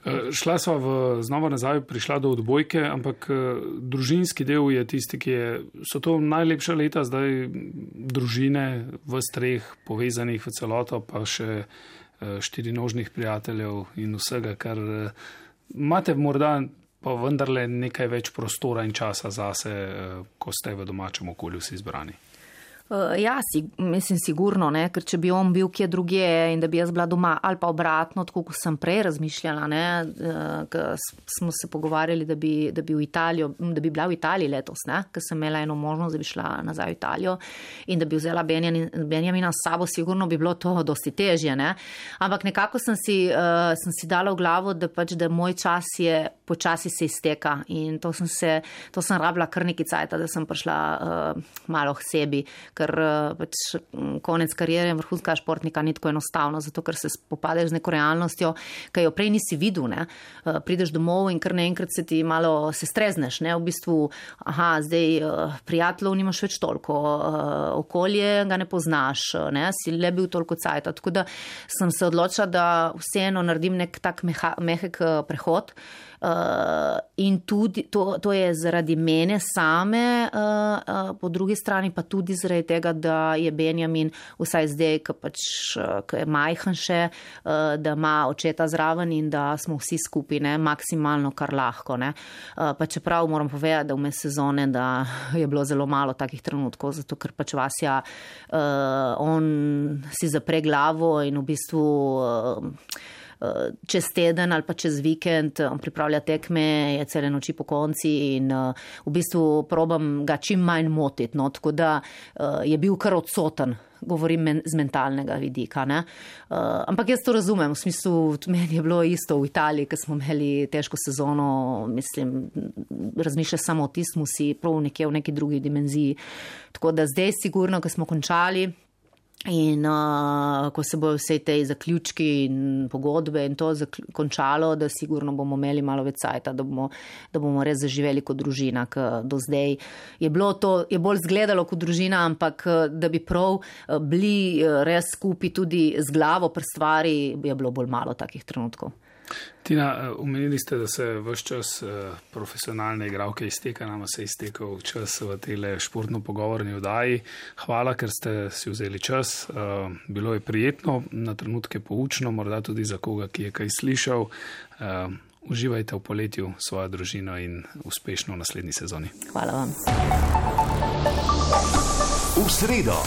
Šla sva v, znova nazaj, prišla do odbojke, ampak družinski del je tisti, ki je, so to najlepša leta zdaj družine v streh povezanih v celoto, pa še štirinožnih prijateljev in vsega, kar imate morda pa vendarle nekaj več prostora in časa zase, ko ste v domačem okolju vsi zbrani. Uh, ja, si, mislim sigurno, ne, ker če bi on bil kje drugje in da bi jaz bila doma ali pa obratno, tako kot sem prej razmišljala, ne, uh, smo se pogovarjali, da bi, da bi v Italijo, da bi bila v Italiji letos, ne, ker sem imela eno možnost, da bi šla nazaj v Italijo in da bi vzela Benjamin, Benjamina s sabo, sigurno bi bilo to dosti težje, ne. Ampak nekako sem si, uh, sem si dala v glavo, da pač, da moj čas je počasi se izteka in to sem se, to sem rabila kar nekaj cajta, da sem prišla uh, malo k sebi, ker pač konec kariere vrhunskega športnika ni tako enostavno, zato ker se spopadeš z neko realnostjo, ki jo prej nisi videl, ne. Prideš domov in kar naenkrat se ti malo se strezneš, ne, v bistvu, aha, zdaj prijateljev nimaš več toliko, okolje ga ne poznaš, ne, si le bil toliko cajta, tako da sem se odločila, da vseeno naredim nek tak meha, mehek prehod. Uh, in tudi to, to je zaradi mene same, uh, uh, po drugi strani pa tudi zaradi tega, da je Benjamin vsaj zdaj, ki pač, uh, je majhen še, uh, da ima očeta zraven in da smo vsi skupaj, ne, maksimalno kar lahko. Ne. Uh, pa čeprav moram povedati, da vmes sezone, da je bilo zelo malo takih trenutkov, zato ker pač Vasja, uh, on si zapre glavo in v bistvu uh, čez teden ali pa čez vikend on pripravlja tekme, je cele noči po konci in uh, v bistvu probam ga čim manj motiti, no, tako da uh, je bil kar odsoten, govorim men, z mentalnega vidika, ne. Uh, ampak jaz to razumem, v smislu, meni je bilo isto v Italiji, ker smo imeli težko sezono, mislim, razmišlja samo o tistem, si prav nekje v neki drugi dimenziji, tako da zdaj sigurno, ko smo končali, in uh, ko se bojo vse te zaključki in pogodbe in to končalo, da sigurno bomo imeli malo več cajta, da bomo, da bomo res zaživeli kot družina, ker do zdaj je bilo to, je bolj zgledalo kot družina, ampak da bi prav bili res skupaj tudi z glavo pri stvari, je bilo bolj malo takih trenutkov. Tina, omenili ste, da se vse čas profesionalne igralke izteka, nama se je iztekel čas v tele športno pogovorni oddaji. Hvala, ker ste si vzeli čas. Bilo je prijetno, na trenutke poučno, morda tudi za koga, ki je kaj slišal. Uživajte v poletju svojo družino in uspešno v naslednji sezoni. Hvala vam. V sredo.